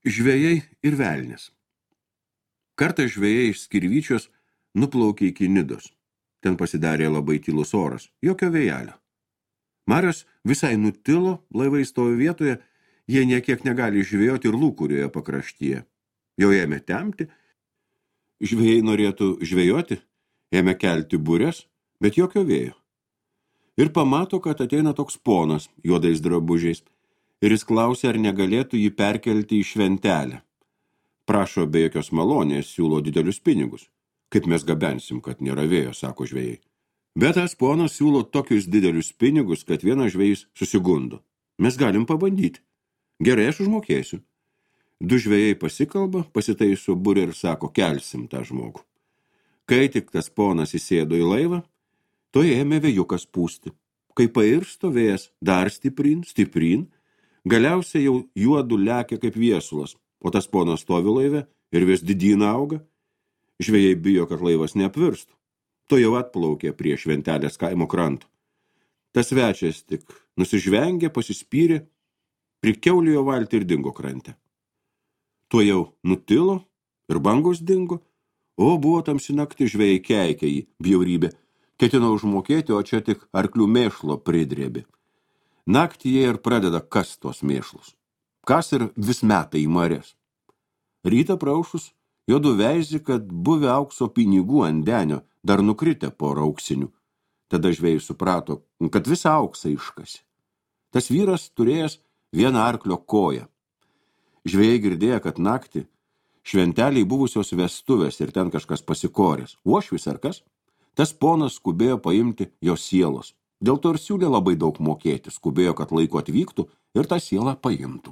Žvejai ir velnis. Kartą žvejai iš Skirvyčios nuplaukė iki Nidos. Ten pasidarė labai tylus oras, jokio vėjelio. Marios visai nutilo, laivai stovi vietoje, jie niekiek negali žvejoti ir lūkurioje pakraštyje. Jau ėmė temti, žvejai norėtų žvejoti, ėmė kelti burės, bet jokio vėjo. Ir pamato, kad ateina toks ponas juodais drabužiais, ir jis klausė, ar negalėtų jį perkelti į šventelę. Prašo be jokios malonės, siūlo didelius pinigus. Kaip mes gabensim, kad nėra vėjo, sako žvejai. Bet tas ponas siūlo tokius didelius pinigus, kad vienas žvejys susigundo. Mes galim pabandyti. Gerai, aš užmokėsiu. Du žvejai pasikalba, pasitaiso burę ir sako, kelsim tą žmogų. Kai tik tas ponas įsėdo į laivą, to ėmė vėjukas pūsti. Kai pairsto vėjas dar stiprin, galiausiai jau juodu lekia kaip viesulas, o tas ponas stovi laive ir vis didyn auga. Žvejai bijo, kad laivas neapvirstų. To jau atplaukė prie šventelės kaimo kranto. Tas svečias tik nusižvengė, pasispyrė, prikiaulėjo valtį ir dingo krante. Tuo jau nutilo ir bangos dingo, o buvo tamsi nakti, žvejai keikė jį bjaurybė. Ketino užmokėti, o čia tik arklių mėšlo pridrėbi. Naktį jie ir pradeda kas tos mėšlus. Kas ir vis meta į marės. Rytą praušus, juodu veizė, kad buvę aukso pinigų ant denio dar nukritę porą auksinių. Tada žvejai suprato, kad visą auksą iškasi. Tas vyras turėjęs vieną arklio koją. Žvejai girdėjo, kad naktį šventeliai buvusios vestuvės ir ten kažkas pasikorės. Uošvis ar kas? Tas ponas skubėjo paimti jo sielos. Dėl to ir siūlė labai daug mokėti, skubėjo, kad laiku atvyktų ir tą sielą paimtų.